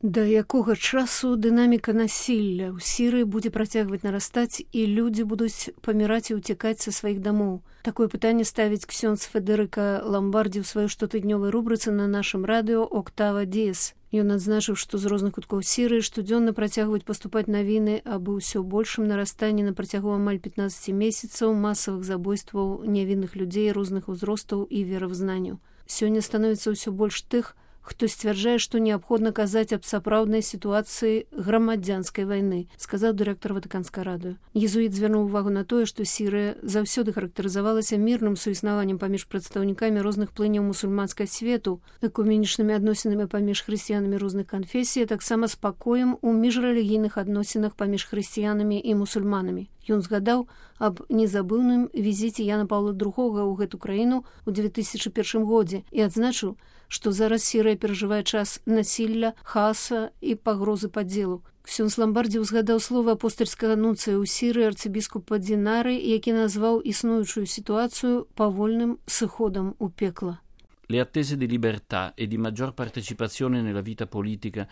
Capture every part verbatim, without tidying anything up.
Да якога часу дынаміка насілля ў Сірыі будзе працягваць нарастаць і людзі будуць паміраць і ўцякаць са сваіх дамоў? Такое пытанне ставіць ксёндз Федэрыка Ламбардзі ў сваёй штотыднёвай рубрыцы на нашым радыё «Октава Діес». Ён адзначыў, што з розных куткоў Сірыі штодзённа працягваюць паступаць навіны аб усё большым нарастанні на працягу амаль пятнаццаці месяцаў масавых забойстваў нявінных людзей розных узростаў і веравызнанняў. Сёння становіцца ўсё больш тых, хто сцвярджае, што неабходна казаць аб сапраўднай сітуацыі грамадзянскай вайны, сказаў дырэктар Ватыканскага радыё. Езуіт звярнуў увагу на тое, што Сірыя заўсёды характарызавалася мірным суіснаваннем паміж прадстаўнікамі розных плыняў мусульманскай свету, экуменічнымі адносінамі паміж хрысціянамі розных канфесій, а таксама спакоем у міжрэлігійных адносінах паміж хрысціянамі і мусульманамі. Ён згадаў аб незабыўным візіце Яна Паўла другога ў гэту краіну ў две тысячы першым годзе і адзначыў, што зараз Сірыя перажывае час насілля, хааса і пагрозы падзелу. Ксёндз Ламбардзі ўзгадаў словы апостальскага нунцыя ў Сірыі арцыбіскупа Дінары, які назваў існуючую сітуацыю павольным сыходам у пекла. Le attese di libertà e di maggior partecipazione nella vita politica.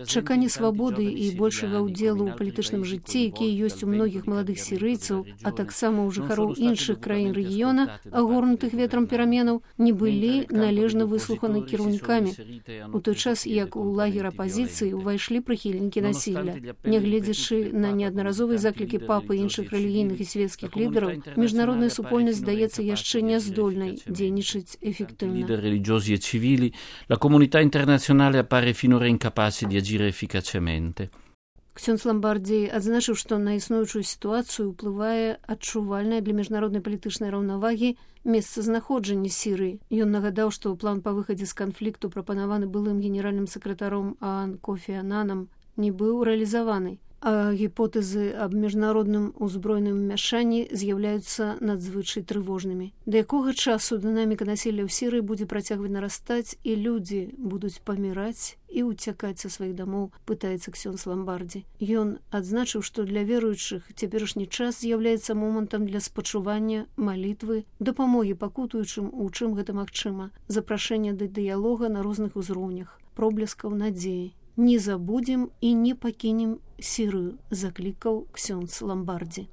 Чаканне свабоды і большага ўдзелу ў палітычным жыцці, якія ёсць у многіх маладых сірыйцаў, а таксама ў жыхароў іншых краін рэгіёна, агорнутых ветрам пераменаў, не былі належна выслуханы кіраўнікамі. У той час, як у лагер апазіцыі ўвайшлі прыхільнікі насілля. Нягледзячы на неаднаразовыя заклікі папы і іншых рэлігійных і свецкіх лідараў, міжнародная супольнасць здаецца яшчэ няздольнай дзейнічаць эфектыўна. Religiosi e civili, la comunità internazionale appare finora incapace di agire efficacemente. Ксёндз Ламбардзі адзначыў, што на існуючую сітуацыю ўплывае адчувальнае для міжнароднай палітычнай раўнавагі месцазнаходжанне Сірыі. Ён нагадаў, што план па выхадзе з канфлікту, прапанаваны былым генеральным сакратаром ААН Кофі Ананам, не быў рэалізаваны. А гіпотэзы аб міжнародным узброеным мяшанні з'яўляюцца надзвычай трывожнымі. Да якога часу дынаміка насілля ў Сірыі будзе працягваць нарастаць і людзі будуць паміраць і ўцякаць са сваіх дамоў, пытаецца ксёндз Ламбардзі. Ён адзначыў, што для веруючых цяперашні час з'яўляецца момантам для спачування, малітвы, дапамогі пакутуючым, у чым гэта магчыма, запрашэння да дыялога на розных узроўнях, проблескаў надзеі. Не забудзем і не пакінем Сірыю, заклікаў ксёндз Ламбардзі.